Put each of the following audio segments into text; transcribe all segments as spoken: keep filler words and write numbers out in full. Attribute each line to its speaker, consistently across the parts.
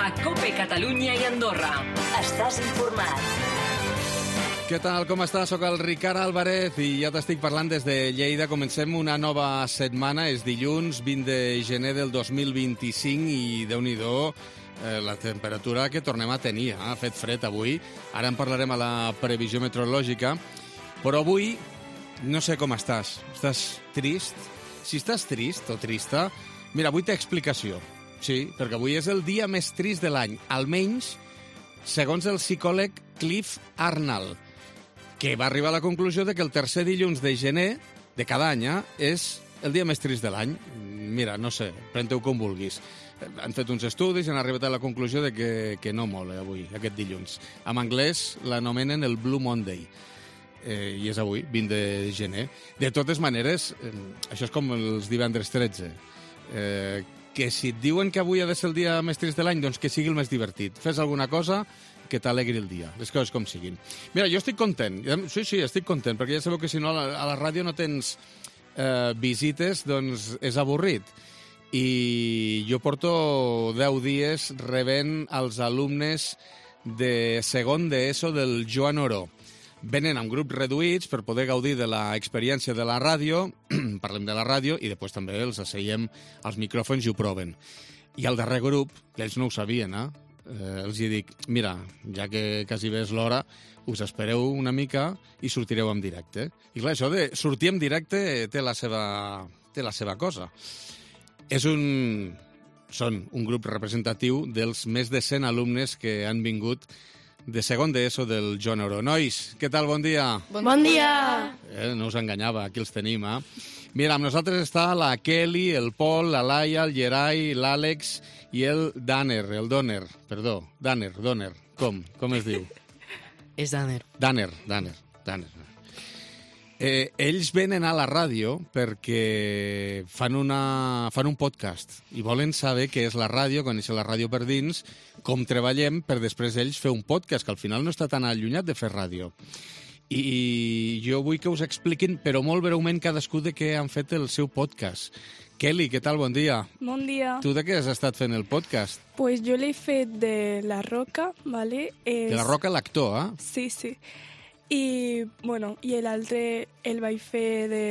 Speaker 1: a COPE Catalunya i Andorra. Estàs informat.
Speaker 2: Què tal, com estàs? Soc el Ricard Álvarez i ja t'estic parlant des de Lleida. Comencem una nova setmana, és dilluns vint de gener del dos mil vint-i-cinc i Déu-n'hi-do eh, la temperatura que tornem a tenir. Eh? Ha fet fred avui, ara en parlarem a la previsió meteorològica, però avui no sé com estàs. Estàs trist? Si estàs trist o trista, mira, avui té explicació. Sí, perquè avui és el dia més trist de l'any, almenys segons el psicòleg Cliff Arnold, que va arribar a la conclusió de que el tercer dilluns de gener de cada any eh, és el dia més trist de l'any. Mira, no sé, pren-te-ho com vulguis. Han fet uns estudis i han arribat a la conclusió de que, que no mola avui, aquest dilluns. En anglès l'anomenen el Blue Monday. Eh, I és avui, vint de gener. De totes maneres, eh, això és com els divendres tretze. Eh, que si et diuen que avui ha de ser el dia més trist de l'any, doncs que sigui el més divertit. Fes alguna cosa que t'alegri el dia, les coses com siguin. Mira, jo estic content, sí, sí, estic content, perquè ja sabeu que si no a la, a la ràdio no tens eh, visites, doncs és avorrit. I jo porto deu dies rebent els alumnes de segon d'ESO del Joan Oró. Venen amb grups reduïts per poder gaudir de l'experiència de la ràdio, parlem de la ràdio, i després també els asseiem als micròfons i ho proven. I al darrer grup, que ells no ho sabien, eh? Eh, els hi dic, mira, ja que quasi bé és l'hora, us espereu una mica i sortireu en directe. I clar, això de sortir en directe té la seva, té la seva cosa. És un... Són un grup representatiu dels més de cent alumnes que han vingut de segon d'ESO del Joan Oró. Nois, què tal? Bon dia.
Speaker 3: Bon, bon dia.
Speaker 2: Eh, no us enganyava, aquí els tenim, eh? Mira, amb nosaltres està la Kelly, el Pol, la Laia, el Gerai, l'Àlex i el Danner, el Donner, perdó, Danner, Donner, com? Com es diu?
Speaker 3: És Danner.
Speaker 2: Danner, Danner, Danner. Eh, ells venen a la ràdio perquè fan, una, fan un podcast i volen saber què és la ràdio, conèixer la ràdio per dins, com treballem per després ells fer un podcast, que al final no està tan allunyat de fer ràdio. I jo vull que us expliquin, però molt breument, cadascú de què han fet el seu podcast. Kelly, què tal? Bon dia.
Speaker 4: Bon dia.
Speaker 2: Tu de què has estat fent el podcast?
Speaker 4: Pues jo l'he fet de La Roca, ¿vale? Es...
Speaker 2: De La Roca, l'actor, eh?
Speaker 4: Sí, sí. I, bueno, i l'altre el vaig fer de...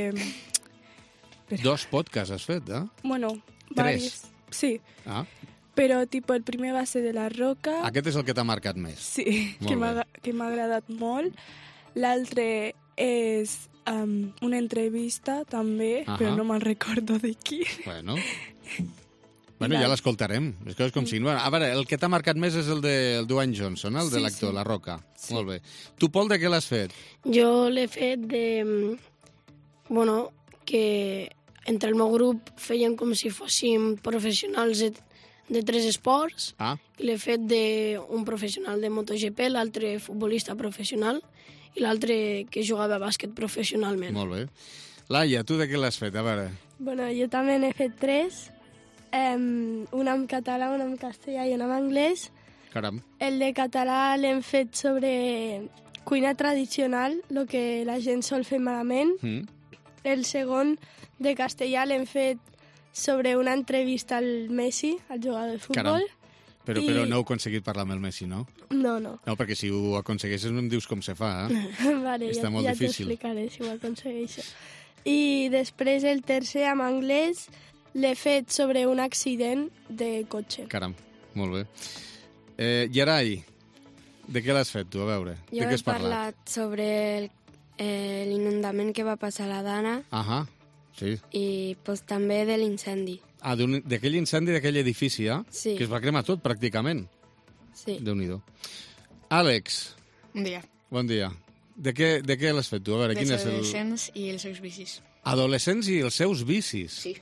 Speaker 2: Dos podcasts has fet, eh?
Speaker 4: Bueno,
Speaker 2: Tres.
Speaker 4: Varis. Sí.
Speaker 2: Ah.
Speaker 4: Però, tipo, el primer va ser de La Roca.
Speaker 2: Aquest és el que t'ha marcat més.
Speaker 4: Sí,
Speaker 2: Molt
Speaker 4: que m'ha
Speaker 2: bé.
Speaker 4: que m'ha agradat molt. L'altre és um, una entrevista, també,
Speaker 2: Ahà.
Speaker 4: però no me'n recordo de qui.
Speaker 2: Bueno, bueno ja l'escoltarem. Les coses com siguin. Bueno, a veure, el que t'ha marcat més és el de el Dwayne Johnson, el de
Speaker 4: Sí,
Speaker 2: l'actor,
Speaker 4: sí.
Speaker 2: La Roca.
Speaker 4: Sí.
Speaker 2: Molt bé. Tu, Pol, de què l'has fet?
Speaker 3: Jo l'he fet de... Bueno, que entre el meu grup feien com si fóssim professionals de, de tres esports.
Speaker 2: Ah,
Speaker 3: I l'he fet d'un professional de MotoGP, l'altre futbolista professional i l'altre que jugava a bàsquet professionalment.
Speaker 2: molt bé. Laia, tu de què l'has fet? A veure.
Speaker 5: Bueno, jo també n'he fet tres, um, una en català, una en castellà i una en anglès.
Speaker 2: Caram.
Speaker 5: El de català l'hem fet sobre cuina tradicional, el que la gent sol fer malament.
Speaker 2: Mm.
Speaker 5: El segon, de castellà, l'hem fet sobre una entrevista al Messi, al jugador de futbol.
Speaker 2: Caram. Però,
Speaker 5: I-
Speaker 2: però no heu aconseguit parlar amb el Messi, no?
Speaker 5: No, no.
Speaker 2: No, perquè si ho aconsegueixes no em dius com se fa, eh?
Speaker 5: Vale,
Speaker 2: Està
Speaker 5: ja,
Speaker 2: molt
Speaker 5: ja
Speaker 2: difícil.
Speaker 5: t'explicaré si ho aconsegueixo. I després el tercer, en anglès, l'he fet sobre un accident de cotxe.
Speaker 2: Caram, molt bé. Eh, Gerai, de què l'has fet tu? A veure,
Speaker 6: Jo
Speaker 2: de què
Speaker 6: he
Speaker 2: has parlat?
Speaker 6: parlat sobre el- eh, l'inundament que va passar a la Dana
Speaker 2: Ahà, sí.
Speaker 6: i pues, també de l'incendi.
Speaker 2: Ah, d'un- d'aquell incendi d'aquell edifici, eh?
Speaker 6: Sí.
Speaker 2: Que es va cremar tot, pràcticament.
Speaker 6: Sí.
Speaker 2: Déu-n'hi-do. Àlex,
Speaker 7: Bon dia.
Speaker 2: bon dia. De què, de què l'has fet tu? A veure,
Speaker 7: Dels
Speaker 2: quin és el...
Speaker 7: adolescents i els seus vicis.
Speaker 2: Adolescents i els seus vicis.
Speaker 7: Sí.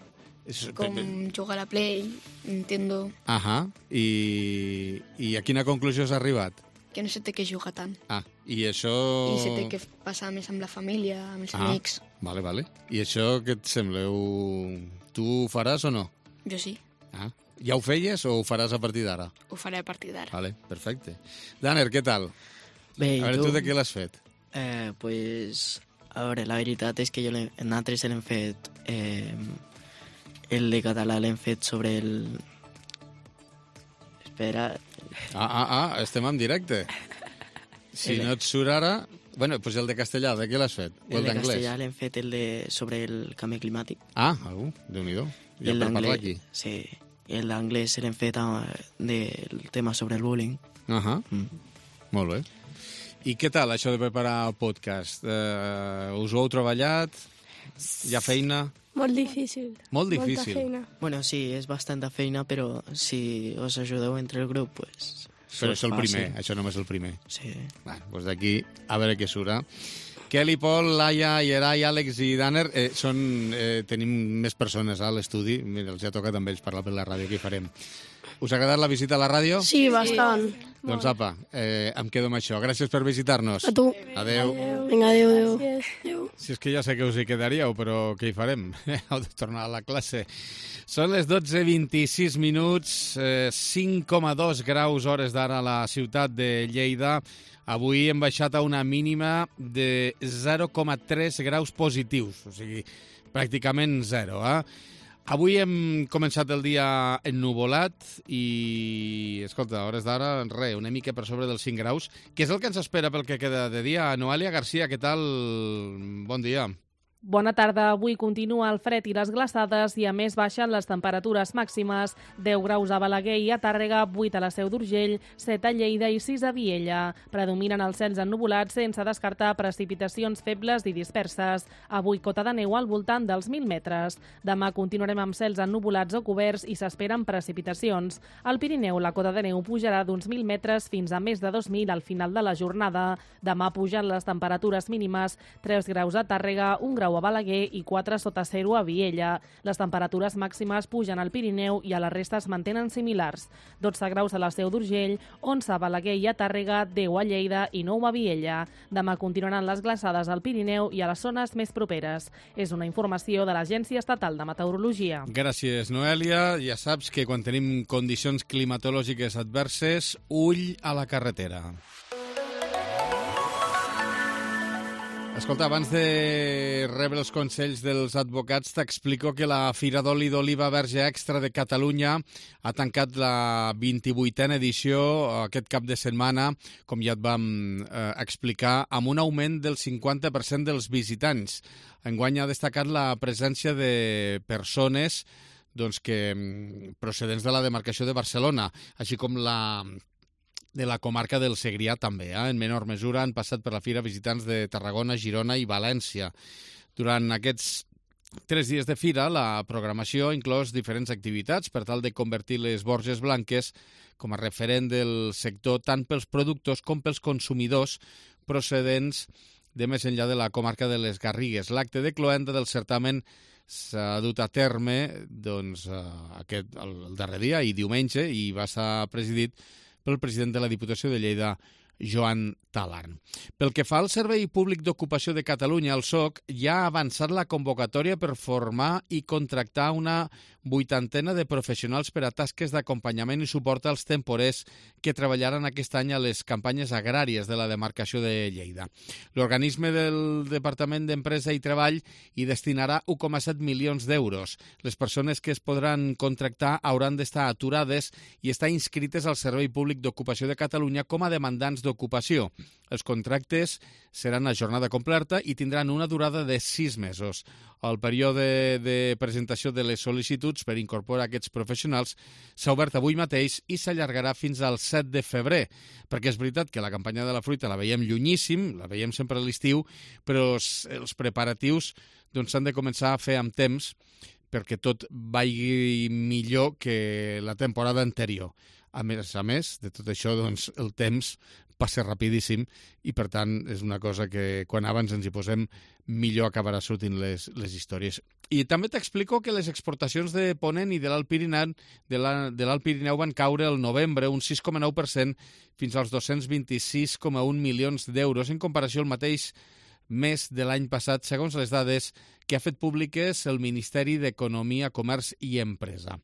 Speaker 2: És...
Speaker 7: Com jugar a la Play, Nintendo,
Speaker 2: Ahà, i, i a quina conclusió has arribat?
Speaker 7: que no se té que jugar tant.
Speaker 2: Ah, i això...
Speaker 7: I se té que passar més amb la família, amb els
Speaker 2: Ah,
Speaker 7: amics.
Speaker 2: vale, vale. I això què et sembla? Ho... Tu ho faràs o no?
Speaker 7: Jo sí,
Speaker 2: Ah, ja ho feies o ho faràs a partir d'ara?
Speaker 7: ho faré a partir d'ara.
Speaker 2: Vale, perfecte. Danner, què tal?
Speaker 8: Bé,
Speaker 2: A veure, tu de què l'has fet?
Speaker 8: Eh, pues, a veure, la veritat és que jo l'he- nosaltres l'hem fet... Eh, el de català l'hem fet sobre el... espera.
Speaker 2: Ah, ah, ah, estem en directe. Si no et surt ara... Bueno, doncs el de castellà, de què l'has fet? O
Speaker 8: El
Speaker 2: el
Speaker 8: de
Speaker 2: d'anglès?
Speaker 8: castellà l'hem fet el de sobre el canvi climàtic.
Speaker 2: Ah, algú, Déu-n'hi-do. Ja
Speaker 8: el
Speaker 2: per parlar
Speaker 8: d'anglès,
Speaker 2: aquí.
Speaker 8: sí. El d'anglès l'hem fet eh, del tema sobre el bullying.
Speaker 2: Ahà,
Speaker 8: Mm.
Speaker 2: molt bé. I què tal això de preparar el podcast? Uh, us ho heu treballat? Hi ha feina?
Speaker 5: Molt difícil.
Speaker 2: Molt difícil.
Speaker 5: Molta feina.
Speaker 8: Bueno, sí, és bastant de feina, però si us ajudeu entre el grup, pues...
Speaker 2: Però és el
Speaker 8: fàcil.
Speaker 2: primer, això només el primer.
Speaker 8: Sí.
Speaker 2: Bueno, doncs d'aquí a veure què surt. Eh? Kelly, Pol, Laia, Yeray, Àlex i Danner, eh, són, eh, tenim més persones a l'estudi. Mira, els ha tocat amb ells parlar per la ràdio, què hi farem? Us ha agradat la visita a la ràdio?
Speaker 3: Sí, bastant.
Speaker 2: Doncs apa, eh, em quedo amb això. Gràcies per visitar-nos.
Speaker 3: A tu.
Speaker 2: Adeu.
Speaker 3: Vinga, adéu, adéu.
Speaker 5: Gràcies.
Speaker 3: Adéu.
Speaker 2: Si és que ja sé que us hi quedaríeu, però què hi farem? Heu de tornar a la classe. Són les dotze vint-i-sis minuts, eh, cinc coma dos graus hores d'ara a la ciutat de Lleida. Avui hem baixat a una mínima de zero coma tres graus positius, o sigui, pràcticament zero. Eh? Avui hem començat el dia ennuvolat i, escolta, a hores d'ara, res, una mica per sobre dels cinc graus, que és el que ens espera pel que queda de dia. Noelia Garcia, què tal? Bon dia.
Speaker 9: Bona tarda. Avui continua el fred i les glaçades i a més baixen les temperatures màximes. deu graus a Balaguer i a Tàrrega, vuit a la Seu d'Urgell, set a Lleida i sis a Viella. Predominen els cels ennubulats sense descartar precipitacions febles i disperses. Avui cota de neu al voltant dels mil metres. Demà continuarem amb cels ennubulats o coberts i s'esperen precipitacions. Al Pirineu la cota de neu pujarà d'uns mil metres fins a més de dos mil al final de la jornada. Demà pugen les temperatures mínimes, tres graus a Tàrrega, un grau a Balaguer i quatre sota zero a Viella. Les temperatures màximes pugen al Pirineu i a la resta es mantenen similars. dotze graus a la Seu d'Urgell, onze a Balaguer i a Tàrrega, deu a Lleida i nou a Viella. Demà continuaran les glaçades al Pirineu i a les zones més properes. És una informació de l'Agència Estatal de Meteorologia.
Speaker 2: Gràcies, Noelia. Ja saps que quan tenim condicions climatològiques adverses, ull a la carretera. Escolta, abans de rebre els consells dels advocats, t'explico que la Fira d'Oli d'Oliva Verge Extra de Catalunya ha tancat la vint-i-vuitena edició aquest cap de setmana, com ja et vam eh, explicar, amb un augment del cinquanta per cent dels visitants. Enguany ha destacat la presència de persones doncs, que procedents de la demarcació de Barcelona, així com la... de la comarca del Segrià també. Eh? En menor mesura han passat per la fira visitants de Tarragona, Girona i València. Durant aquests tres dies de fira, la programació ha inclòs diferents activitats per tal de convertir les Borges Blanques com a referent del sector tant pels productors com pels consumidors procedents de més enllà de la comarca de les Garrigues. L'acte de cloenda del certamen s'ha dut a terme doncs, aquest, el, el darrer dia i diumenge i va estar presidit pel president de la Diputació de Lleida, Joan Talarn. Pel que fa al Servei Públic d'Ocupació de Catalunya, el S O C, ja ha avançat la convocatòria per formar i contractar una vuitantena de professionals per a tasques d'acompanyament i suport als temporers que treballaran aquest any a les campanyes agràries de la demarcació de Lleida. L'organisme del Departament d'Empresa i Treball hi destinarà un coma set milions d'euros. Les persones que es podran contractar hauran d'estar aturades i estar inscrites al Servei Públic d'Ocupació de Catalunya com a demandants d'ocupació. Els contractes seran a jornada completa i tindran una durada de sis mesos. El període de presentació de les sol·licituds per incorporar aquests professionals s'ha obert avui mateix i s'allargarà fins al set de febrer, perquè és veritat que la campanya de la fruita la veiem llunyíssim, la veiem sempre a l'estiu, però els preparatius doncs, s'han de començar a fer amb temps perquè tot vagi millor que la temporada anterior. A més a més, de tot això, doncs, el temps passa rapidíssim i, per tant, és una cosa que quan abans ens hi posem millor acabarà sortint les, les històries. I també t'explico que les exportacions de Ponent i de l'Alt Pirineu, de l'Alt Pirineu van caure el novembre un sis coma nou per cent fins als dos-cents vint-i-sis coma un milions d'euros en comparació al mateix mes de l'any passat, segons les dades que ha fet públiques el Ministeri d'Economia, Comerç i Empresa.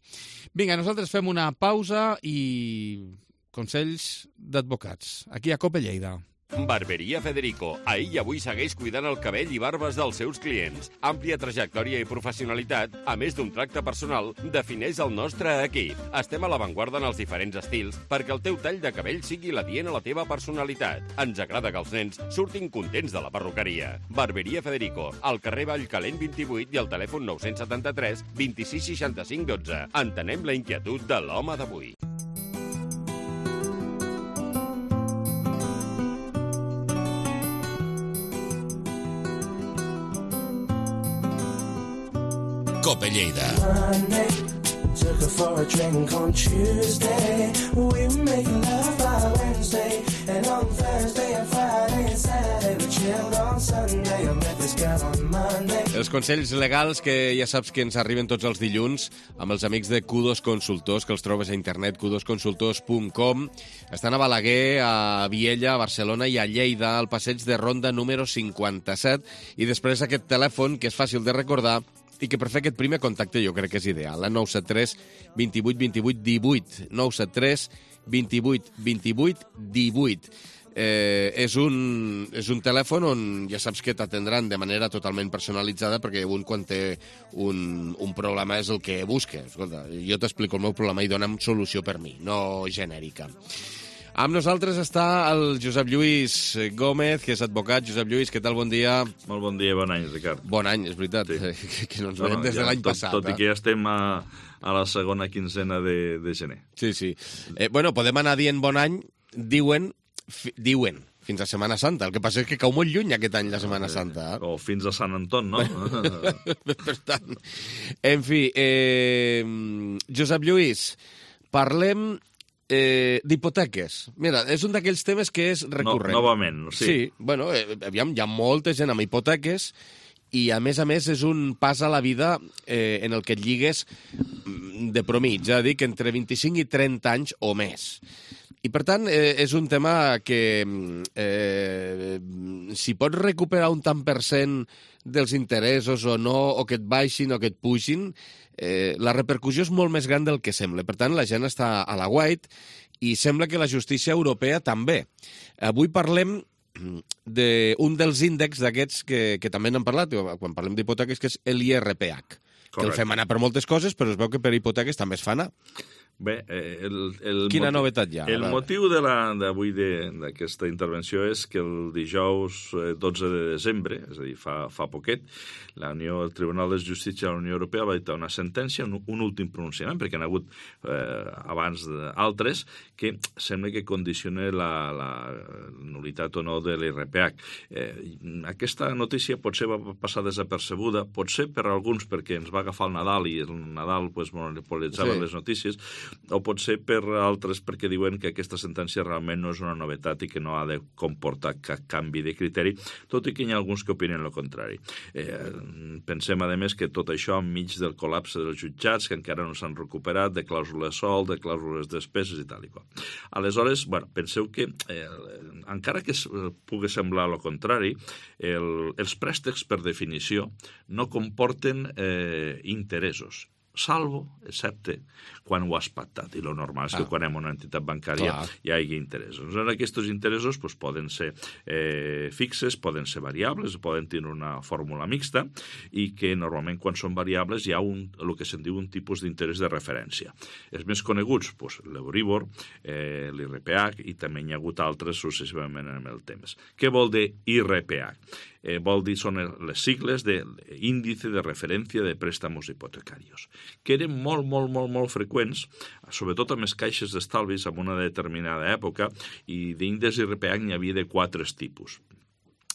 Speaker 2: Vinga, nosaltres fem una pausa i consells d'advocats. Aquí a Cope Lleida.
Speaker 10: Barberia Federico. Ahir i avui segueix cuidant el cabell i barbes dels seus clients. Àmplia trajectòria i professionalitat, a més d'un tracte personal, defineix el nostre equip. Estem a l'avantguarda en els diferents estils perquè el teu tall de cabell sigui l'adient a la teva personalitat. Ens agrada que els nens surtin contents de la perruqueria. Barberia Federico, al carrer Vallcalent vint-i-vuit i al telèfon nou set tres, dos sis, seixanta-cinc, dotze. Entenem la inquietud de l'home d'avui.
Speaker 11: Cope Lleida.
Speaker 12: Took her for a drink on Tuesday. We were making love by Wednesday. And on Thursday and Friday and Saturday we chilled on Sunday. I met this girl on Monday.
Speaker 2: Els consells legals que ja saps que ens arriben tots els dilluns amb els amics de Q dos Consultors, que els trobes a internet, q dos consultors punt com. Estan a Balaguer, a Viella, a Barcelona i a Lleida, al passeig de Ronda número cinquanta-set. I després aquest telèfon, que és fàcil de recordar, i que per fer aquest primer contacte jo crec que és ideal. Eh? nou set tres, vint vuit, vint vuit, divuit. nou set tres, vint vuit, vint vuit, divuit. Eh, és, un, és un telèfon on ja saps que t'atendran de manera totalment personalitzada, perquè un quan té un, un problema és el que busca. Escolta, jo t'explico el meu problema i dona'm solució per mi, no genèrica. Amb nosaltres està el Josep Lluís Gómez, que és advocat. Josep Lluís, què tal? Bon dia.
Speaker 13: Molt bon dia, bon any, Ricard.
Speaker 2: Bon any, és veritat, sí. que no ens veiem bueno, des de ja, l'any
Speaker 13: tot,
Speaker 2: passat.
Speaker 13: Tot eh? i que ja estem a, a la segona quinzena de, de gener.
Speaker 2: Sí, sí. Eh, bueno, podem anar dient bon any, diuen, fi, diuen, fins a Setmana Santa. El que passa és que cau molt lluny aquest any la Setmana Santa. Eh?
Speaker 13: O fins a Sant Anton, no?
Speaker 2: Per tant, en fi, eh, Josep Lluís, parlem... Eh, d'hipoteques. Mira, és un d'aquells temes que és recurrent.
Speaker 13: No, novament, sí.
Speaker 2: Sí, bueno, eh, aviam, hi ha molta gent amb hipoteques i, a més a més, és un pas a la vida eh, en el que et lligues de promig, és a dir, que entre vint-i-cinc i trenta anys o més. I, per tant, eh, és un tema que eh, si pots recuperar un tant per cent dels interessos o no, o que et baixin o que et pugin, eh, la repercussió és molt més gran del que sembla. Per tant, la gent està a la guait i sembla que la justícia europea també. Avui parlem d'un dels índexs d'aquests que, que també n'han parlat, quan parlem d'hipoteques, que és l'I R P H. Correcte. Que el fem anar per moltes coses, però es veu que per hipoteques també es fa anar.
Speaker 13: Bé, el, el
Speaker 2: Quina
Speaker 13: motiu,
Speaker 2: novetat hi ha?
Speaker 13: El motiu d'avui d'aquesta intervenció és que el dijous dotze de desembre, és a dir, fa, fa poquet, la Unió, el Tribunal de Justícia de la Unió Europea va dictar una sentència, un, un últim pronunciament, perquè n'ha hagut eh, abans d'altres, que sembla que condiciona la, la nul·litat o no de l'I R P H. Eh, aquesta notícia potser va passar desapercebuda, potser per alguns perquè ens va agafar el Nadal i el Nadal pues, monopolitzava sí. les notícies, o potser per altres perquè diuen que aquesta sentència realment no és una novetat i que no ha de comportar cap canvi de criteri, tot i que hi ha alguns que opinen el contrari. Eh, pensem, a més, que tot això enmig del col·lapse dels jutjats, que encara no s'han recuperat, de clàusules sol, de clàusules despeses i tal i qual. Aleshores, bueno, penseu que, eh, encara que pugui semblar el contrari, el, els préstecs, per definició, no comporten eh, interessos, salvo, excepte, quan ho has pactat. I el normal és que ah. quan hem una entitat bancària Clar. hi hagi interessos. Aquests interessos pues, poden ser eh, fixes, poden ser variables, poden tenir una fórmula mixta i que normalment quan són variables hi ha un, el que se'n diu un tipus d'interès de referència. Els més coneguts, pues, l'Euribor, eh, l'I R P H i també hi ha hagut altres successivament en el temps. Què vol dir I R P H? Eh, vol dir, són les sigles d'Índice de Referència de Préstamos Hipotecarios, que eren molt, molt, molt, molt freqüents, sobretot amb les caixes d'estalvis en una determinada època, i d'índex I R P H n'hi havia de quatre tipus.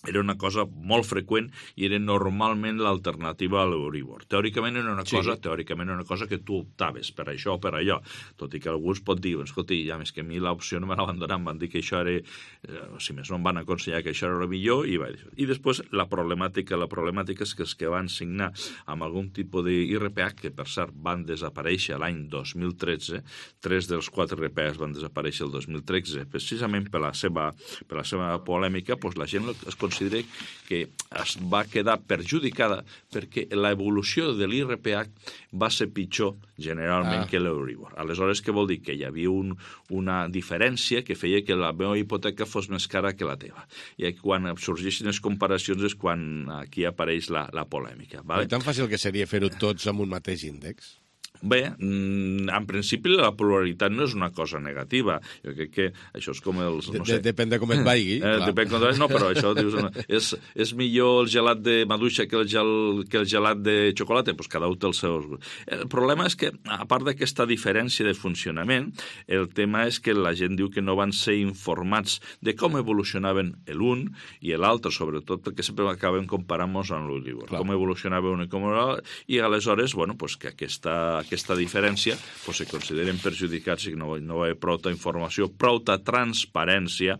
Speaker 13: Era una cosa molt freqüent i era normalment l'alternativa a l'Euribor. Teòricament era una cosa, sí. teòricament era una cosa que tu optaves per això o per allò, tot i que alguns pot dir, escolta, ja més que a mi l'opció no me la van donar, em van dir que això era, eh, si més no em van aconsellar que això era el millor, i va dir. I després la problemàtica, la problemàtica és que els que van signar amb algun tipus d'I R P H, que per cert van desaparèixer l'any dos mil tretze, tres dels quatre I R P Hs van desaparèixer el dos mil tretze, precisament per la seva, per la seva polèmica, doncs la gent es considera que es va quedar perjudicada perquè l'evolució de l'I R P H va ser pitjor generalment ah. que l'Euribor. Aleshores, què vol dir? Que hi havia un, una diferència que feia que la meva hipoteca fos més cara que la teva. I quan sorgeixen les comparacions és quan aquí apareix la, la polèmica. Vale?
Speaker 14: I tan fàcil que seria fer-ho tots amb un mateix índex?
Speaker 13: Bé, en principi la pluralitat no és una cosa negativa. Jo crec que això és com els... No sé.
Speaker 14: Depèn de com et vaigui.
Speaker 13: Eh, depèn com et vaigui, no, però això dius, no, és, és millor el gelat de maduixa que el, gel, que el gelat de xocolata? Doncs cada un té els seus... El problema és que, a part d'aquesta diferència de funcionament, el tema és que la gent diu que no van ser informats de com evolucionaven l'un i l'altre, sobretot perquè sempre acabem comparant-nos amb l'Euribor. Com evolucionava un i com l'altre, i aleshores, bueno, pues que aquesta aquesta diferència pues, se consideren perjudicats i que no, no hi ha prou informació, prou transparència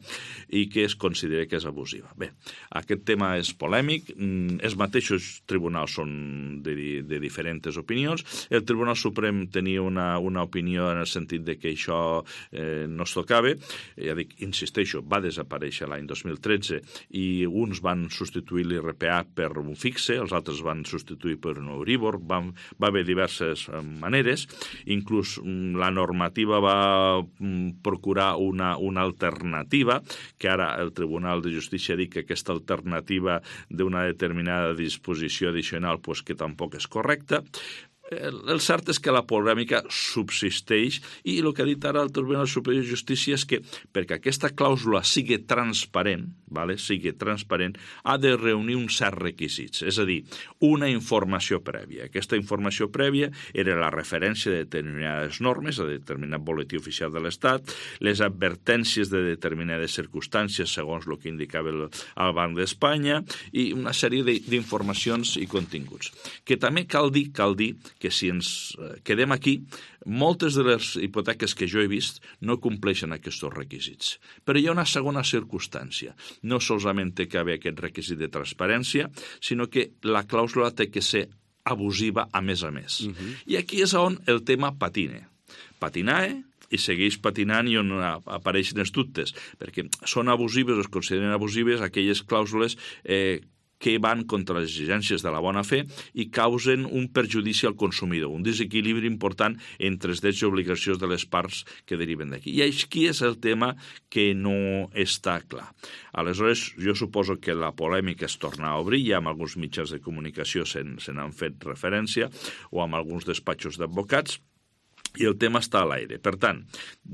Speaker 13: i que es considera que és abusiva. Bé, aquest tema és polèmic, els mateixos tribunals són de, de diferents opinions. El Tribunal Suprem tenia una, una opinió en el sentit de que això eh, no es tocava. Ja dic, insisteixo, va desaparèixer l'any dos mil tretze i uns van substituir l'I R P H per un fixe, els altres van substituir per un Euribor, van, va haver diverses maneres, inclús la normativa va procurar una, una alternativa, que ara el Tribunal de Justícia ha dit que aquesta alternativa d'una determinada disposició addicional pues, que tampoc és correcta. El cert és que la polèmica subsisteix i el que ha dit ara el Tribunal Superior de Justícia és que perquè aquesta clàusula sigui transparent, vale, sigui transparent, ha de reunir uns certs requisits, és a dir, una informació prèvia. Aquesta informació prèvia era la referència de determinades normes, a determinat boletí oficial de l'Estat, les advertències de determinades circumstàncies segons el que indicava el, el Banc d'Espanya i una sèrie d'informacions i continguts. Que també cal dir, cal dir que si ens quedem aquí, moltes de les hipoteques que jo he vist no compleixen aquests requisits. Però hi ha una segona circumstància. No solament té que haver aquest requisit de transparència, sinó que la clàusula té que ser abusiva a més a més. Uh-huh. I aquí és on el tema patina. Patinae, i segueix patinant i on apareixen els dubtes, perquè són abusives o es consideren abusives aquelles clàusules eh, que van contra les exigències de la bona fe i causen un perjudici al consumidor, un desequilibri important entre els drets i obligacions de les parts que deriven d'aquí. I aquí és el tema que no està clar. Aleshores, jo suposo que la polèmica es torna a obrir, ja amb alguns mitjans de comunicació se n'han fet referència, o amb alguns despatxos d'advocats, i el tema està a l'aire. Per tant,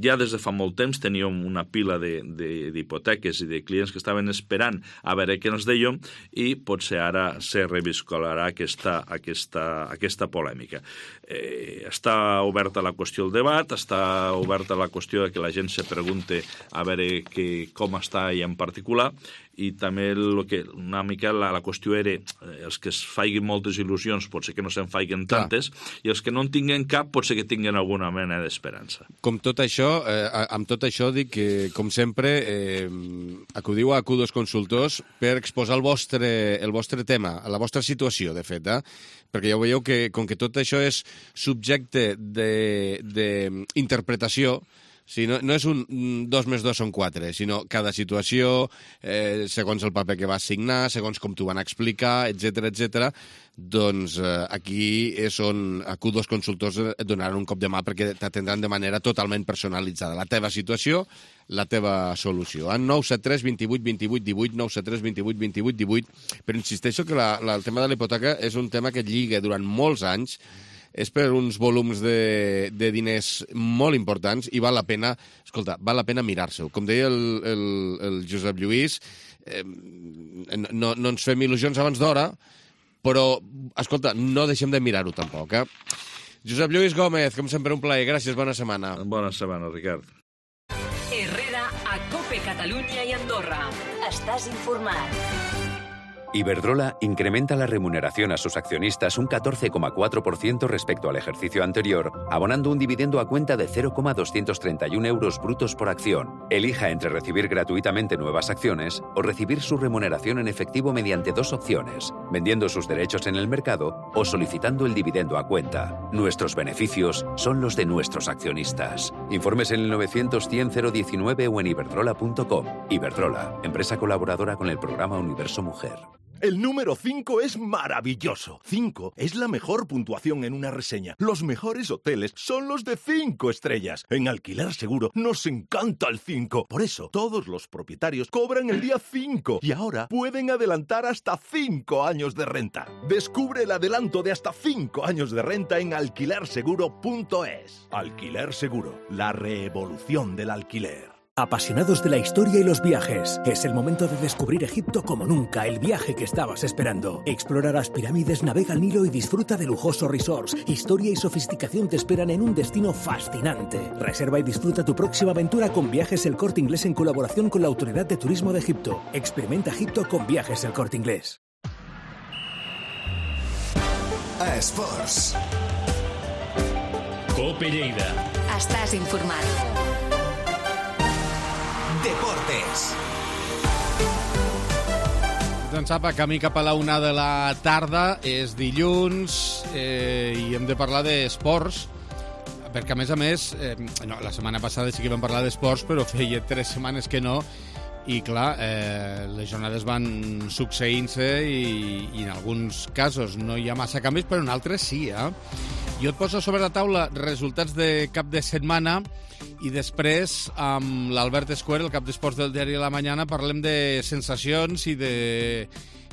Speaker 13: ja des de fa molt temps teníem una pila d'hipoteques i de clients que estaven esperant a veure què ens dèiem i potser ara se reviscolarà aquesta, aquesta, aquesta polèmica. Eh, està oberta la qüestió del debat, està oberta la qüestió de que la gent se pregunte a veure que, com està ella en particular, i també el que, una mica la, la qüestió era els que es faiguin moltes il·lusions potser que no se'n faiguen tantes, clar, i els que no en tinguen cap potser que tinguen alguna mena d'esperança.
Speaker 14: Com tot això, eh, amb tot això dic que, com sempre, eh, acudiu a Acudos Consultors per exposar el vostre, el vostre tema, la vostra situació, de fet, eh? Perquè ja ho veieu que, com que tot això és subjecte d'interpretació, sí, no, no és un dos més dos són quatre, sinó cada situació, eh, segons el paper que vas signar, segons com t'ho van explicar, etcètera, etcètera, doncs eh, aquí és on Acudos Consultors et donaran un cop de mà perquè t'atendran de manera totalment personalitzada. La teva situació, la teva solució. En nou set tres, vint vuit, vint vuit, divuit, nou set tres, vint vuit, vint vuit, divuit. Però insisteixo que la, la, el tema de la hipoteca és un tema que lliga durant molts anys, és per uns volums de, de diners molt importants i val la pena, escolta, val la pena mirar-se-ho. Com deia el, el, el Josep Lluís, eh, no, no ens fem il·lusions abans d'hora, però, escolta, no deixem de mirar-ho tampoc, eh? Josep Lluís Gómez, com sempre, un plaer. Gràcies, bona setmana.
Speaker 13: Bona setmana, Ricard.
Speaker 1: Herrera, a COPE Catalunya i Andorra. Estàs informat.
Speaker 15: Iberdrola incrementa la remuneración a sus accionistas un catorce coma cuatro por ciento respecto al ejercicio anterior, abonando un dividendo a cuenta de cero coma doscientos treinta y uno euros brutos por acción. Elija entre recibir gratuitamente nuevas acciones o recibir su remuneración en efectivo mediante dos opciones. vendiendo sus derechos en el mercado o solicitando el dividendo a cuenta. Nuestros beneficios son los de nuestros accionistas. Informes en el novecientos cien cero diecinueve o en iberdrola punto com. Iberdrola, empresa colaboradora con el programa Universo Mujer.
Speaker 16: El número cinco es maravilloso. cinco es la mejor puntuación en una reseña. Los mejores hoteles son los de cinco estrellas. En Alquiler Seguro nos encanta el cinco. Por eso, todos los propietarios cobran el día cinco y ahora pueden adelantar hasta cinco años de renta. Descubre el adelanto de hasta cinco años de renta en alquiler seguro punto es. Alquiler Seguro, la revolución del alquiler.
Speaker 17: Apasionados de la historia y los viajes, es el momento de descubrir Egipto como nunca, el viaje que estabas esperando. Explora las pirámides, navega el Nilo y disfruta de lujosos resorts. Historia y sofisticación te esperan en un destino fascinante. Reserva y disfruta tu próxima aventura con Viajes El Corte Inglés en colaboración con la Autoridad de Turismo de Egipto. Experimenta Egipto con Viajes El Corte Inglés.
Speaker 11: A Esports.
Speaker 1: Cope Lleida. Estàs informat.
Speaker 11: Deportes.
Speaker 2: Doncs apa, camí cap a la una de la tarda, és dilluns eh, i hem de parlar d'esports, perquè a més a més, eh, no, la setmana passada sí que vam parlar d'esports, però feia tres setmanes que no, i clar, eh, les jornades van succeint-se i, i en alguns casos no hi ha massa canvis, però en altres sí, eh? Jo et poso sobre la taula resultats de cap de setmana i després, amb l'Albert Escuer, el cap d'esports del diari La Mañana, parlem de sensacions i de,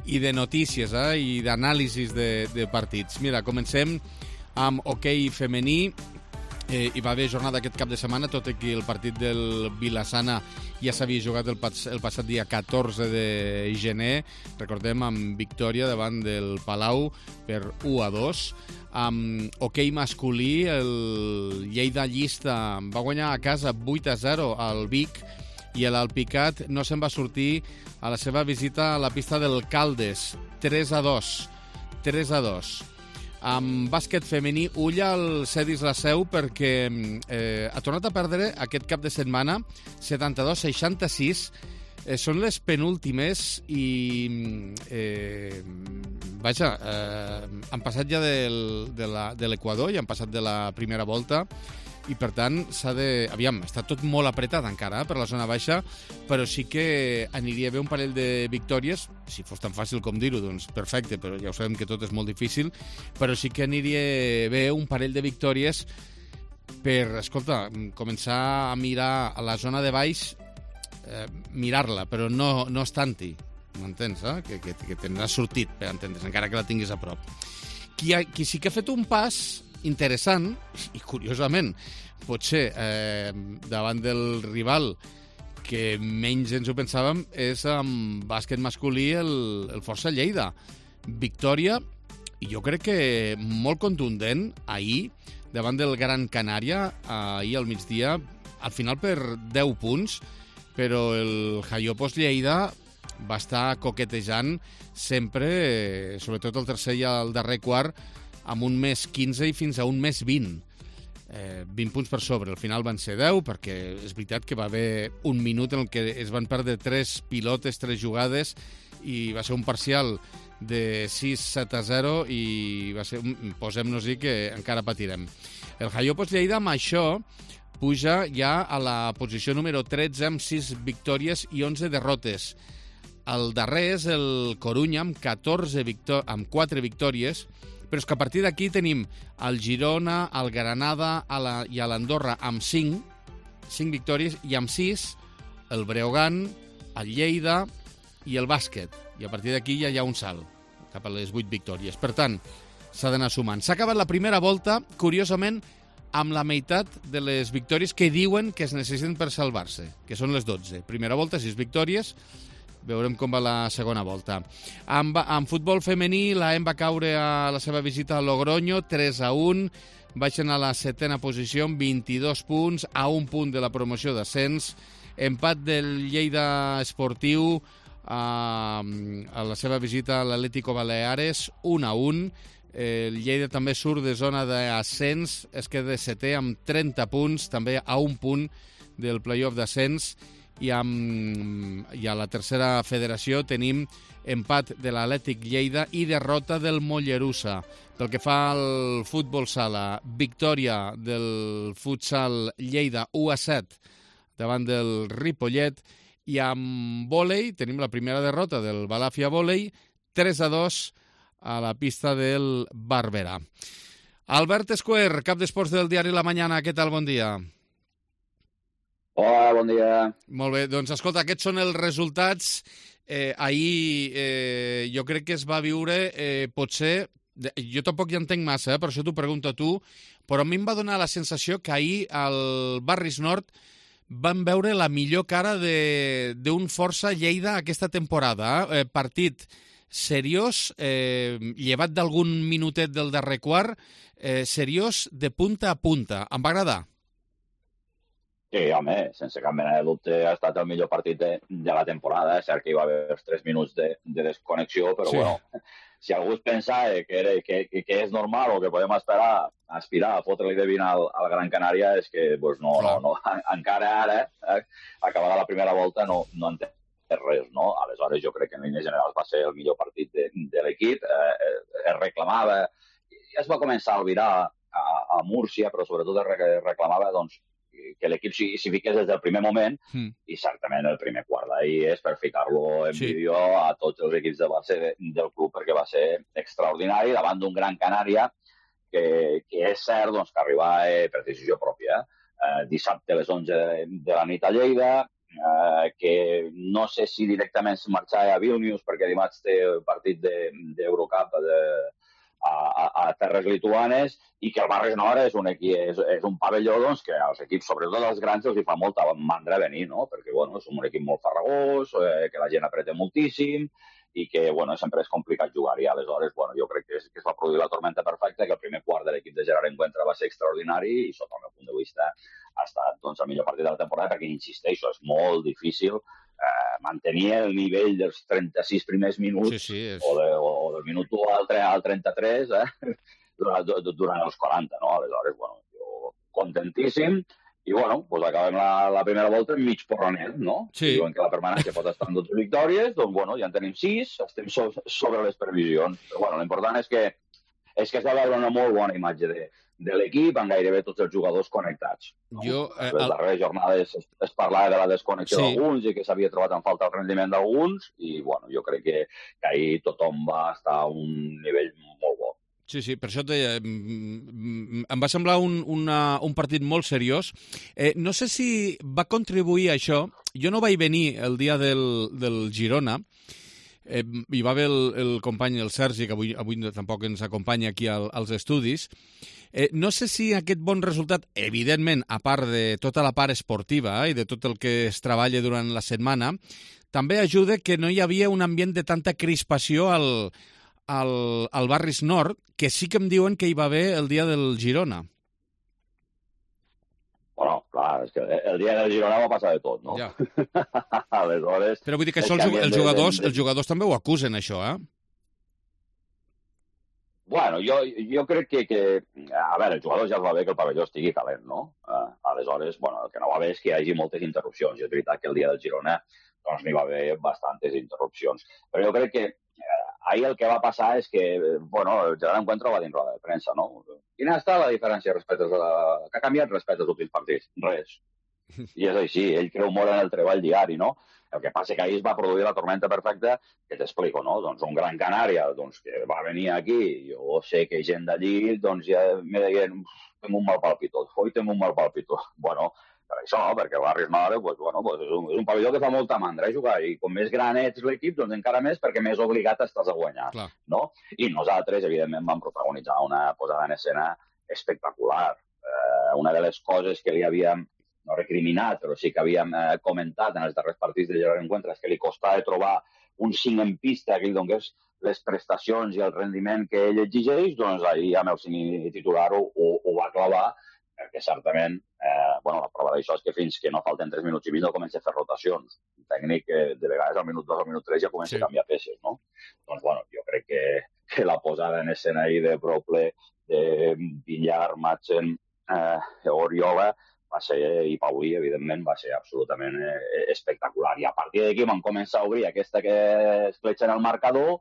Speaker 2: i de notícies eh? I d'anàlisis de, de partits. Mira, comencem amb hoquei femení. Eh, hi va haver jornada aquest cap de setmana, tot i que el partit del Vilassana ja s'havia jugat el, pas, el passat dia catorze de gener, recordem, amb victòria davant del Palau per u a dos. Amb hoquei masculí, el Lleida Llista va guanyar a casa vuit a zero al Vic i l'Alpicat no se'n va sortir a la seva visita a la pista del Caldes, tres a dos. tres a dos. Amb bàsquet femení, ull al Cedis la Seu perquè eh, ha tornat a perdre aquest cap de setmana setanta-dos a seixanta-sis. Eh, són les penúltimes i eh, vaja, eh, han passat ja del, de, la, de l'Equador i han passat de la primera volta i per tant s'ha de... Aviam, està tot molt apretat encara eh, per la zona baixa, però sí que aniria bé un parell de victòries, si fos tan fàcil com dir-ho, doncs perfecte, però ja ho sabem que tot és molt difícil, però sí que aniria bé un parell de victòries per, escolta, començar a mirar a la zona de baix, eh, mirar-la, però no, no estant-hi, m'entens, eh? Que, que, que te n'has sortit, per entendre's, encara que la tinguis a prop. Qui, ha, qui sí que ha fet un pas interessant, i curiosament, potser eh, davant del rival que menys ens ho pensàvem, és amb bàsquet masculí el, el Força Lleida. Victòria, i jo crec que molt contundent, ahir, davant del Gran Canària, ahir al migdia, al final per deu punts, però el Jaiopos Lleida va estar coquetejant sempre, sobretot el tercer i el darrer quart, amb un més quinze i fins a un més vint. Eh, vint punts per sobre. Al final van ser deu, perquè és veritat que va haver un minut en el que es van perdre tres pilotes, tres jugades, i va ser un parcial de sis set a zero i va ser, posem-nos-hi que encara patirem. El Jaiopos Lleida amb això puja ja a la posició número tretze amb sis victòries i onze derrotes. El darrer és el Corunya amb, catorze victò- amb quatre victòries, però és que a partir d'aquí tenim el Girona, el Granada a la, i a l'Andorra amb cinc, cinc victòries, i amb sis el Breogán, el Lleida i el bàsquet. I a partir d'aquí ja hi ha un salt cap a les vuit victòries. Per tant, s'ha d'anar sumant. S'ha acabat la primera volta, curiosament, amb la meitat de les victòries que diuen que es necessiten per salvar-se, que són les dotze. Primera volta, sis victòries. Veurem com va la segona volta. En, en futbol femení, la E M va caure a la seva visita a Logroño, tres a un. Baixen a la setena posició amb vint-i-dos punts, a un punt de la promoció d'ascens. Empat del Lleida Esportiu a, a la seva visita a l'Atlético Baleares, un a un. El Lleida també surt de zona d'ascens, es queda setè amb trenta punts, també a un punt del playoff d'ascens. i, amb, i a la tercera federació tenim empat de l'Atlètic Lleida i derrota del Mollerussa. Pel que fa al futbol sala, victòria del futsal Lleida u a set davant del Ripollet, i amb vòlei tenim la primera derrota del Balàfia Vòlei, tres a dos a la pista del Barberà. Albert Esquer, cap d'esports del diari La Mañana, què tal? Bon dia.
Speaker 18: Hola, bon dia.
Speaker 2: Molt bé, doncs escolta, aquests són els resultats. Eh, ahir eh, jo crec que es va viure, eh, potser, jo tampoc hi entenc massa, eh, per això t'ho pregunto a tu, però a mi em va donar la sensació que ahir al Barris Nord van veure la millor cara d'un Força Lleida aquesta temporada. Eh? Partit seriós, eh, llevat d'algun minutet del darrer quart, eh, seriós de punta a punta. Em va agradar.
Speaker 18: Sí, home, sense cap mena de dubte ha estat el millor partit de, de la temporada. És cert que hi va haver els tres minuts de, de desconnexió, però sí. Bueno, si algú es pensa que, era, que, que és normal o que podem esperar, aspirar a fotre-li de vint al, al Gran Canària, és que pues, no, no, no, encara ara, eh, acabada la primera volta, no, no en té res, no? Aleshores, jo crec que en línies generals va ser el millor partit de, de l'equip. Eh, es reclamava, i es va començar a albirar a, a Múrcia, però sobretot es reclamava doncs, que l'equip s'hi fiqués des del primer moment, mm. i certament el primer quart d'ahir és per ficar-lo en sí. vídeo a tots els equips de base de, del club, perquè va ser extraordinari davant d'un Gran Canària que, que és cert doncs, que arribava eh, per decisió pròpia. Eh, dissabte a les onze de, de la nit a Lleida, eh, que no sé si directament es marxava a Vilnius perquè dimarts té partit d'Eurocup de, A, a, a terres lituanes, i que el Barris Nord és un, equip, és, és un pavelló doncs, que als equips, sobretot als grans, els hi fa molta mandra venir, no? Perquè bueno, és un equip molt farragós, eh, que la gent apreta moltíssim i que bueno, sempre és complicat jugar-hi. Aleshores, bueno, jo crec que es, que es va produir la tormenta perfecta, que el primer quart de l'equip de Gerard Encuentra va ser extraordinari i, sota el meu punt de vista, ha estat doncs, el millor partit de la temporada, perquè, insisteixo, és molt difícil eh, mantenir el nivell dels trenta-sis primers minuts sí, sí, és... o, de, o, o del minut u al, al trenta-tres eh, durant, durant els quaranta, no? Aleshores, bueno, jo contentíssim. I, bueno, doncs acabem la, la primera volta mig porronet, no? Sí. Diuen que la permanència pot estar en dotze victòries, doncs, bueno, ja en tenim sis, estem so sobre les previsions. Però, bueno, l'important és que, és que es va veure una molt bona imatge de, de l'equip, amb gairebé tots els jugadors connectats. No? Jo, eh, les darreres jornades es, es parlava de la desconnexió sí. d'alguns i que s'havia trobat en falta el rendiment d'alguns, i, bueno, jo crec que, que ahir tothom va estar a un nivell molt bo.
Speaker 2: Sí, sí, per això et deia, em va semblar un, una, un partit molt seriós. Eh, no sé si va contribuir a això. Jo no vaig venir el dia del, del Girona, eh, hi va haver el, el company, el Sergi, que avui, avui tampoc ens acompanya aquí al, als estudis. Eh, no sé si aquest bon resultat, evidentment, a part de tota la part esportiva eh, i de tot el que es treballa durant la setmana, també ajuda que no hi havia un ambient de tanta crispació al Al, al Barris Nord, que sí que em diuen que hi va haver el dia del Girona.
Speaker 18: Bueno, clar, és que el dia del Girona va passar de tot, no? Ja. Aleshores...
Speaker 2: Però vull dir que això els, els, jugadors, els jugadors també ho acusen, això, eh?
Speaker 18: Bueno, jo, jo crec que, que... A veure, els jugadors ja els va bé que el pavelló estigui calent, no? Uh, aleshores, bueno, el que no va bé és que hi hagi moltes interrupcions. I és veritat que el dia del Girona doncs n'hi va haver bastantes interrupcions. Però jo crec que ahir el que va passar és que, bueno, el Gerard Encuentra va dir en roda de premsa, no? Quina està la diferència respecte a la... que ha canviat respecte als últims partits? Res. I és així, ell creu molt en el treball diari, no? El que passa que ahir es va produir la tormenta perfecta, que t'explico, no? Doncs un Gran Canària, doncs, que va venir aquí, jo sé que gent d'allí, doncs ja me deien, tinc un mal palpito, oi, tinc un mal palpito. Bueno, per això, perquè el Barris Nord pues, bueno, pues és, un, és un pavelló que fa molta mandra eh, jugar, i com més gran ets l'equip, doncs encara més, perquè més obligat estàs a guanyar. Clar. No? I nosaltres, evidentment, vam protagonitzar una posada en escena espectacular. Eh, una de les coses que li havíem, no recriminat, però sí que havíem eh, comentat en els darrers partits de Gerard Encuentra, és que li costava trobar un cinc en pista que li donés les prestacions i el rendiment que ell exigeix, doncs ahir amb el cinc titular ho, ho, ho va clavar, perquè certament, eh, bueno, la prova d'això és que fins que no falten tres minuts i mig no comença a fer rotacions. Un tècnic que de vegades al minut dos o al minut tres ja comença sí. a canviar peces, no? Doncs, bueno, jo crec que, que la posada en escena ahir de Broble, de Villar, Madsen, eh, Oriola, va ser, i per avui, evidentment, va ser absolutament eh, espectacular. I a partir d'aquí vam començar a obrir aquesta que escletxa en el marcador,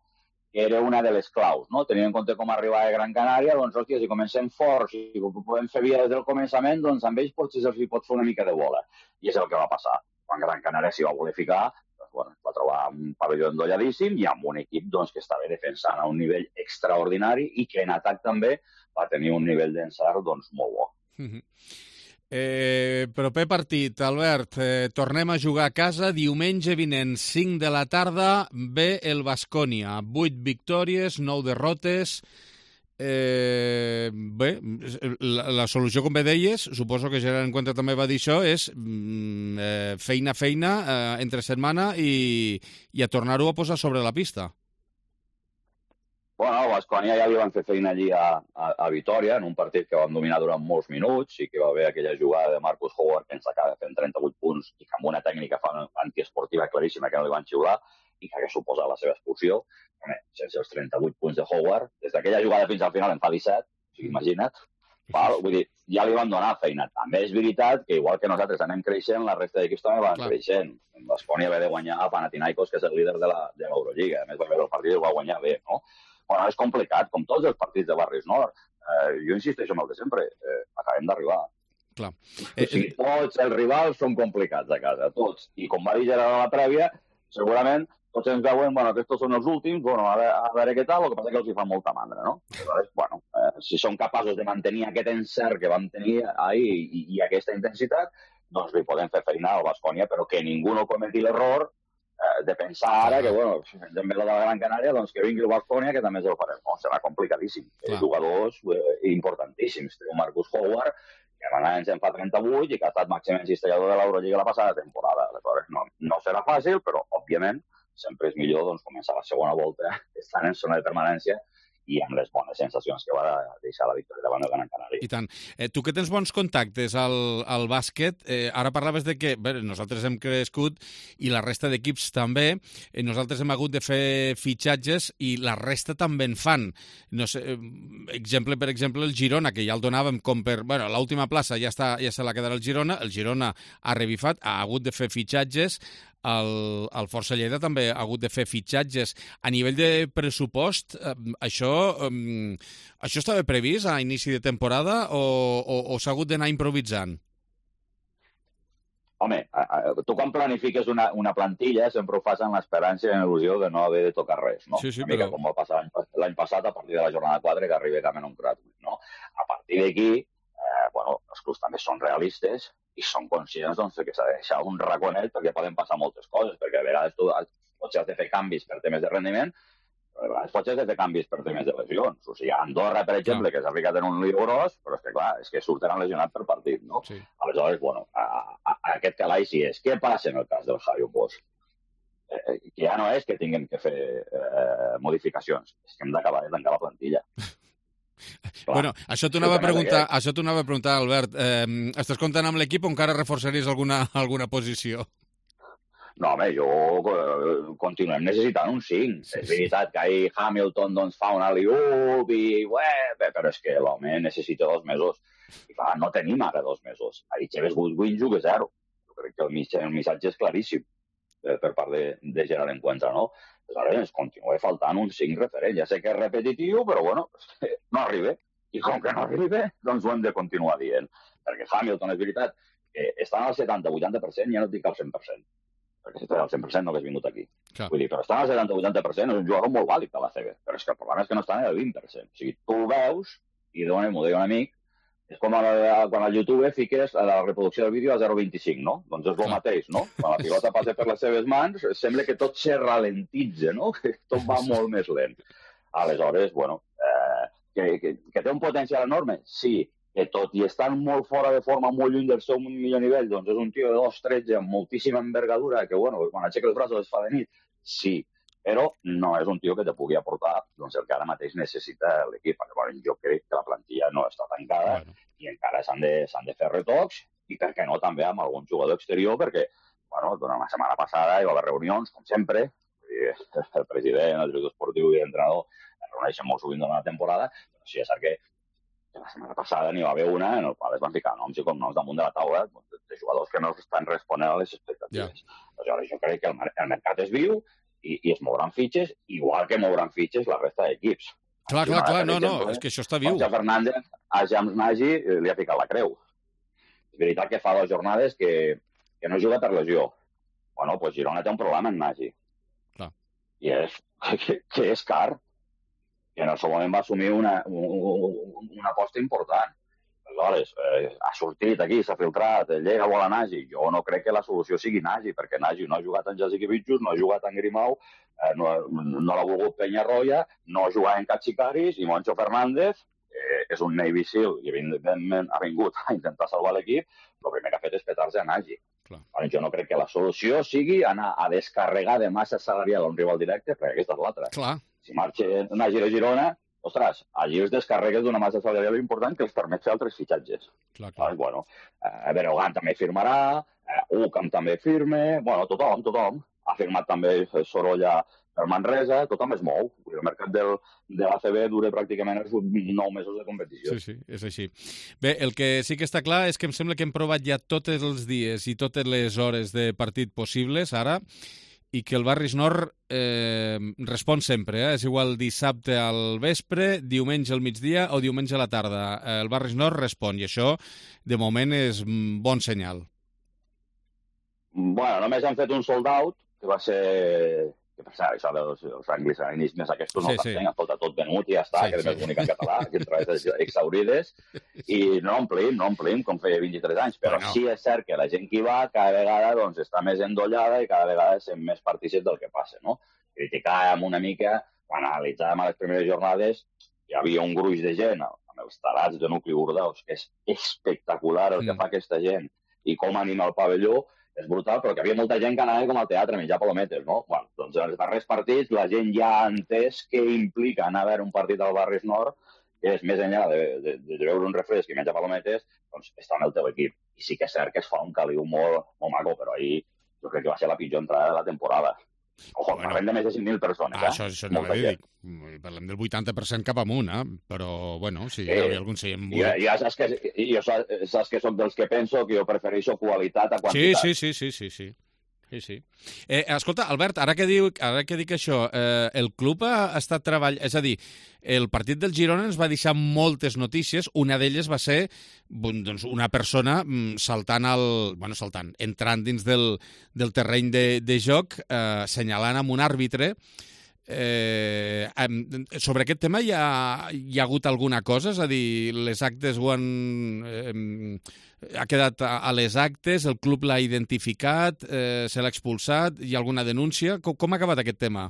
Speaker 18: que era una de les claus, no? Tenint en compte com arribava a Gran Canària, doncs, hòstia, si comencem forts i podem fer via des del començament, doncs amb ells potser se'ls pot fer una mica de bola. I és el que va passar. Quan Gran Canària s'hi va voler ficar, doncs, bueno, va trobar un pavelló endolladíssim i amb un equip doncs, que estava defensant a un nivell extraordinari i que en atac també va tenir un nivell d'encert doncs, molt bo.
Speaker 2: Mm-hmm. Eh, proper partit, Albert, eh, tornem a jugar a casa diumenge vinent, cinc de la tarda, ve el Baskonia, vuit victòries, nou derrotes. Eh, bé, la, la solució, com bé deies, suposo que Gerard en compte també va dir això, és mm, eh, feina, feina, eh, entre setmana i, i a tornar-ho a posar sobre la pista.
Speaker 18: Bueno, a Baskonia ja li van fer feina allí a, a, a Vitòria, en un partit que van dominar durant molts minuts i que va haver aquella jugada de Marcus Howard que ens acaba fent trenta-vuit punts i que amb una tècnica antiesportiva claríssima que no li van xiular i que hagués suposat la seva expulsió. Home, sense els trenta-vuit punts de Howard, des d'aquella jugada fins al final en fa disset, o sigui, imagina't. Val? Vull dir, ja li van donar feina. També és veritat que, igual que nosaltres anem creixent, la resta d'equips també van Clar. creixent. Baskonia va de guanyar a Panathinaikos, que és el líder de l'Eurolliga. A més, va veure el partit i el va guanyar bé, no? Bueno, és complicat, com tots els partits de barris nord. Eh, jo insisteixo en el de sempre, eh, acabem d'arribar.
Speaker 2: Clar.
Speaker 18: Eh, o sigui, tots els rivals són complicats a casa, tots. I com va dir Gerard a la prèvia, segurament tots ens veuen, bueno, aquests són els últims, bueno, a veure, a veure què tal, el que passa que els hi fa molta mandra, no? Aleshores, bueno, eh, si són capaços de mantenir aquest encert que vam tenir ahir i, i aquesta intensitat, doncs li podem fer feina al Baskonia, però que ningú no cometi l'error de pensar ara que, bueno, si ens envela de la Gran Canària, doncs que vingui el Baskonia, que també el farem. No, serà complicadíssim. Clar. Jugadors eh, importantíssims. Té Marcus Howard, que ara ens en fa trenta-vuit i que ha estat màxim encistellador de l'Eurolliga la passada temporada. Aleshores, no, no serà fàcil, però, òbviament, sempre és millor doncs, començar la segona volta estant en zona de permanència i amb les bones sensacions que va deixar la victòria davant del Gran Canària.
Speaker 2: I tant. Eh, tu que tens bons contactes al, al bàsquet, eh, ara parlaves de que bé, nosaltres hem crescut i la resta d'equips també, eh, nosaltres hem hagut de fer fitxatges i la resta també en fan. No sé, eh, exemple, per exemple, el Girona, que ja el donàvem com per... Bueno, l'última plaça ja, està, ja se la quedarà el Girona, el Girona ha revifat, ha hagut de fer fitxatges, el, el Força Lleida també ha hagut de fer fitxatges. A nivell de pressupost, eh, això, eh, això estava previst a inici de temporada o, o, o s'ha hagut d'anar improvisant?
Speaker 18: Home, tu quan planifiques una, una plantilla sempre ho fas amb l'esperança i l'il·lusió de no haver de tocar res, no?
Speaker 2: Sí, sí,
Speaker 18: una mica
Speaker 2: però...
Speaker 18: com va passar l'any passat a partir de la jornada quatre que arriba Cameron Gratuit, no? A partir d'aquí, eh, bueno, els clubs també són realistes i són conscients doncs, que s'ha de deixar un raconet perquè poden passar moltes coses, perquè a vegades tu potser has de fer canvis per temes de rendiment, però a vegades potser has de fer canvis per temes de lesions. O sigui, Andorra, per exemple, que s'ha ficat en un lío gros, però és que, clar, és que surten lesionats per partit, no?
Speaker 2: Sí.
Speaker 18: Aleshores, bueno, a, a, a aquest calaix sí és. Què passa en el cas del Jairo Bosch? Eh, que ja no és que tinguem que fer eh, modificacions, és que hem d'acabar de tancar la plantilla.
Speaker 2: Clar. Bueno, això t'ho anava a preguntar, això t'ho anava a preguntar, Albert. Eh, estàs comptant amb l'equip o encara reforçaries alguna, alguna posició?
Speaker 18: No, home, jo eh, continuem necessitant un cinc. Sí, és veritat sí. que ahir Hamilton doncs, fa un alley-oop i... Ué, però és que l'home necessita dos mesos. I clar, no tenim ara dos mesos. Ahir Xeves Goodwin juga zero. Jo crec que el, el missatge és claríssim eh, per part de, de Gerard Encuentra, no? Aleshores ens continua faltant un cinc referent. Ja sé que és repetitiu, però bueno, no arriba. I com que no arriba, doncs ho hem de continuar dient. Perquè Hamilton, és veritat, que estan al setanta vuitanta per cent, ja no et dic al cent per cent. Perquè si estàs al cent per cent no hagués vingut aquí.
Speaker 2: Clar.
Speaker 18: Vull dir, però estan al setanta vuitanta per cent, és un jugador molt vàlid a la C B. Però és que el problema és que no estan al vint per cent. O sigui, tu ho veus, i d'on m'ho deia un amic, és com a la, quan al YouTube fiques la reproducció del vídeo a zero coma vint-i-cinc, no? Doncs és el mateix, no? Quan la pilota passa per les seves mans, sembla que tot se ralentitza, no? Que tot va molt més lent. Aleshores, bueno, eh, que, que, que té un potencial enorme? Sí, que tot i estant molt fora de forma, molt lluny del seu millor nivell, doncs és un tio de dos tretze amb moltíssima envergadura, que, bueno, quan aixeca els braços es fa de nit, sí, però no és un tio que te pugui aportar doncs, el que ara mateix necessita l'equip. Bueno, jo crec que la plantilla no està tancada bueno. i encara s'han de, s'han de fer retocs i, per què no, també amb algun jugador exterior, perquè bueno, durant la setmana passada hi va haver reunions, com sempre, el president, el director esportiu i l'entrenador es reuneixen molt sovint durant la temporada, però sí és cert que La setmana passada n'hi va haver una en la qual es van ficar noms i cognoms damunt de la taula de jugadors que no estan responent a les expectatives. Yeah. Aleshores, jo crec que el, el mercat és viu i, i es mouran fitxes, igual que mouran fitxes la resta d'equips.
Speaker 14: Clar, clar, clar, no, no, és que això està viu.
Speaker 18: Jorge Fernández a James Nagy li ha ficat la creu. És veritat que fa dues jornades que, que no juga per lesió. Bueno, doncs Girona té un problema en Nagy.
Speaker 14: Clar.
Speaker 18: I és que, que és car. I en el seu moment va assumir una, una aposta important. Aleshores, eh, ha sortit aquí, s'ha filtrat, llega vol a Nagy. Jo no crec que la solució sigui Nagy, perquè Nagy no ha jugat en Jasikevičius, no ha jugat en Grimau, eh, no, no l'ha volgut Peñarroya, no ha jugat en Cachicaris, i Moncho Fernández eh, és un Navy Seal i evidentment ha vingut a intentar salvar l'equip. El primer que ha fet és petar-se a Nagy. Bueno, jo no crec que la solució sigui anar a descarregar de massa salarial a un rival directe, perquè aquesta és l'altra.
Speaker 14: Clar.
Speaker 18: Si marxa Nagy a Girona, ostres, allí els descarregues d'una massa salarial important que els permet fer altres fitxatges.
Speaker 14: Clar, clar.
Speaker 18: Bueno, eh, Berogan també firmarà, eh, Ucam també firme, bueno, tothom, tothom. Ha firmat també Sorolla per Manresa, tothom es mou. El mercat del, de l'A C B dura pràcticament els nou mesos de competició.
Speaker 14: Sí, sí, és així. Bé, el que sí que està clar és que em sembla que hem provat ja tots els dies i totes les hores de partit possibles, ara, i que el Barris Nord eh, respon sempre. Eh? És igual dissabte al vespre, diumenge al migdia o diumenge a la tarda. El Barris Nord respon, i això, de moment, és bon senyal.
Speaker 18: Bueno, només han fet un sold out, que va ser... que per cert, això dels, dels anglicismes aquests no sí, s'entenc, sí. Escolta, tot venut i ja està, sí, que és sí. L'únic en català, que entre les exaurides, i no omplim, no omplim, com feia vint-i-tres anys, però bueno. Sí és cert que la gent que hi va cada vegada doncs, està més endollada i cada vegada és més partícip del que passa, no? Criticàvem una mica, quan analitzàvem a les primeres jornades, hi havia un gruix de gent, amb els tarats de nucli Bordeus, que és espectacular el que mm. fa aquesta gent i com anima el pavelló, és brutal, però que havia molta gent que anava com al teatre, menjar palometes, no? Bueno, doncs en els darrers partits la gent ja ha entès què implica anar a veure un partit al Barris Nord, que és més enllà de, de, de veure un refresc i menjar palometes, doncs està en el teu equip. I sí que és cert que es fa un caliu molt, molt maco, però ahir jo crec que va ser la pitjor entrada de la temporada. Ojo, bueno, parlem de més de cinc mil persones,
Speaker 14: ah,
Speaker 18: eh?
Speaker 14: Això, això no l'he dit. Parlem del vuitanta per cent cap amunt, eh? Però, bueno, si sí, hi havia algun seient buit.
Speaker 18: Ja, ja saps que, jo saps que soc dels que penso que jo prefereixo qualitat a quantitat.
Speaker 14: Sí, sí, sí, sí, sí, sí. Sí, sí. Eh, escolta, Albert, ara que, diu, ara que dic això, eh, el club ha estat treballant... És a dir, el partit del Girona ens va deixar moltes notícies. Una d'elles va ser doncs, una persona saltant, al, bueno, saltant, entrant dins del, del terreny de, de joc, eh, senyalant amb un àrbitre. Eh, sobre aquest tema hi ha, hi ha hagut alguna cosa? És a dir, les actes ho han... Eh, ha quedat a les actes, el club l'ha identificat, eh, se l'ha expulsat, hi ha alguna denúncia? Com, com ha acabat aquest tema?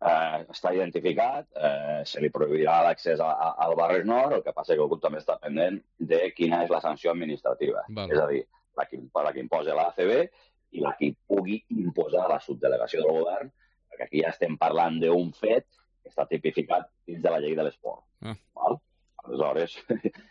Speaker 18: Eh, està identificat, eh, se li prohibirà l'accés a, a, al Barris Nord, el que passa que el club també està pendent de quina és la sanció administrativa. Val. És a dir, la que, la que imposa l'A C B i la que pugui imposar la subdelegació del govern, perquè aquí ja estem parlant d'un fet que està tipificat dins de la llei de l'esport. Ah. Val? Aleshores,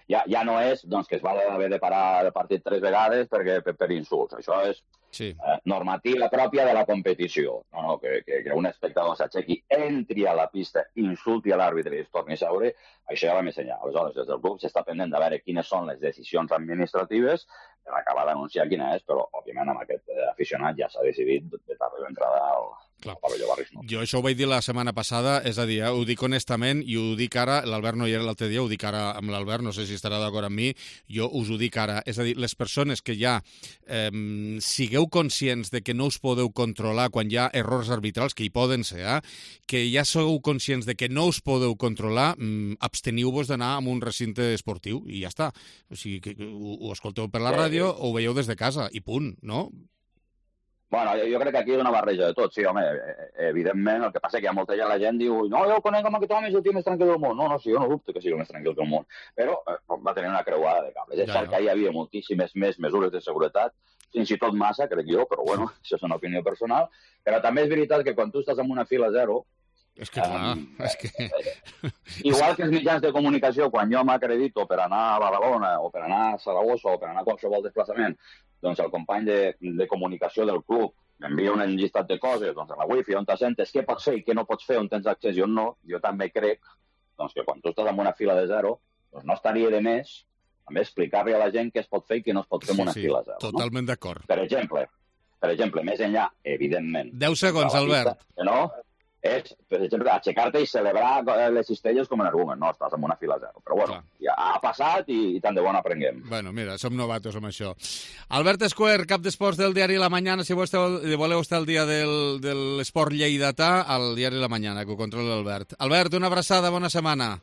Speaker 18: ja, ja no és doncs, que es va haver de parar el partit tres vegades perquè, per, per insults. Això és sí. eh, normativa pròpia de la competició. No, no, que, que, que un espectador s'aixequi, entri a la pista, insulti a l'àrbitre i es torni a seure, això ja va més enllà. Aleshores, des del club s'està pendent de veure quines són les decisions administratives per acabar d'anunciar quina és, però, òbviament, amb aquest eh, aficionat ja s'ha decidit de tarda l'entrada al, al pavelló Barris Nord.
Speaker 14: Jo això ho vaig dir la setmana passada, és a dir, eh, ho dic honestament i ho dic ara, l'Albert no hi era l'altre dia, ho dic ara amb l'Albert, no sé si estarà d'acord amb mi, jo us ho dic ara. És a dir, les persones que ja eh, sigueu conscients de que no us podeu controlar quan hi ha errors arbitrals, que hi poden ser, eh, que ja sou conscients de que no us podeu controlar, mm, absteniu-vos d'anar a un recinte esportiu i ja està. O sigui, que ho, ho escolteu per la ràdio o ho veieu des de casa i punt, no?
Speaker 18: Bueno, jo, jo crec que aquí és una barreja de tot, sí, home, evidentment, el que passa és que hi ha molta gent, la gent diu, no, jo conec amb aquest home, és el tio més tranquil del món. No, no, sí, jo no dubto que sigui el més tranquil del món, però eh, va tenir una creuada de cables. És cert que hi havia moltíssimes més mesures de seguretat, fins i tot massa, crec jo, però bueno, això és una opinió personal, però també és veritat que quan tu estàs en una fila zero,
Speaker 14: és que clar, um, és que...
Speaker 18: igual que els mitjans de comunicació, quan jo m'acredito per anar a Badalona o per anar a Saragossa o per anar a qualsevol desplaçament, doncs el company de, de comunicació del club m'envia un llistat de coses, doncs a la wifi, on t'assentes, què pots fer i què no pots fer, on tens accés i on no, jo també crec doncs que quan tu estàs en una fila de zero, doncs no estaria de més també explicar-li a la gent què es pot fer i què no es pot fer en una
Speaker 2: sí,
Speaker 18: fila zero.
Speaker 2: Totalment
Speaker 18: no?
Speaker 2: d'acord.
Speaker 18: Per exemple, per exemple, més enllà, evidentment...
Speaker 2: deu segons, Albert.
Speaker 18: Pista, no? És, per exemple, aixecar-te i celebrar les cistelles com en argument. No, estàs en una fila zero. Però bueno, ja ha passat i, i tant de bon aprenguem.
Speaker 2: Bueno, mira, som novatos amb això. Albert Escuer, cap d'esports del diari La Mañana, si voleu, voleu estar al dia del, de l'esport lleidatà, al diari La Mañana, que ho controla l'Albert. Albert, una abraçada, bona setmana.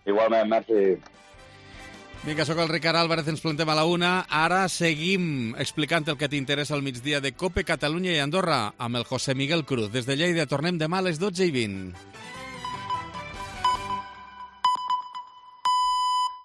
Speaker 18: Igualment, merci.
Speaker 2: Vinga, sóc el Ricard Álvarez, ens plantem a la una. Ara seguim explicant el que t'interessa al migdia de COPE Catalunya i Andorra amb el José Miguel Cruz. Des de Lleida tornem demà a les dotze i vint.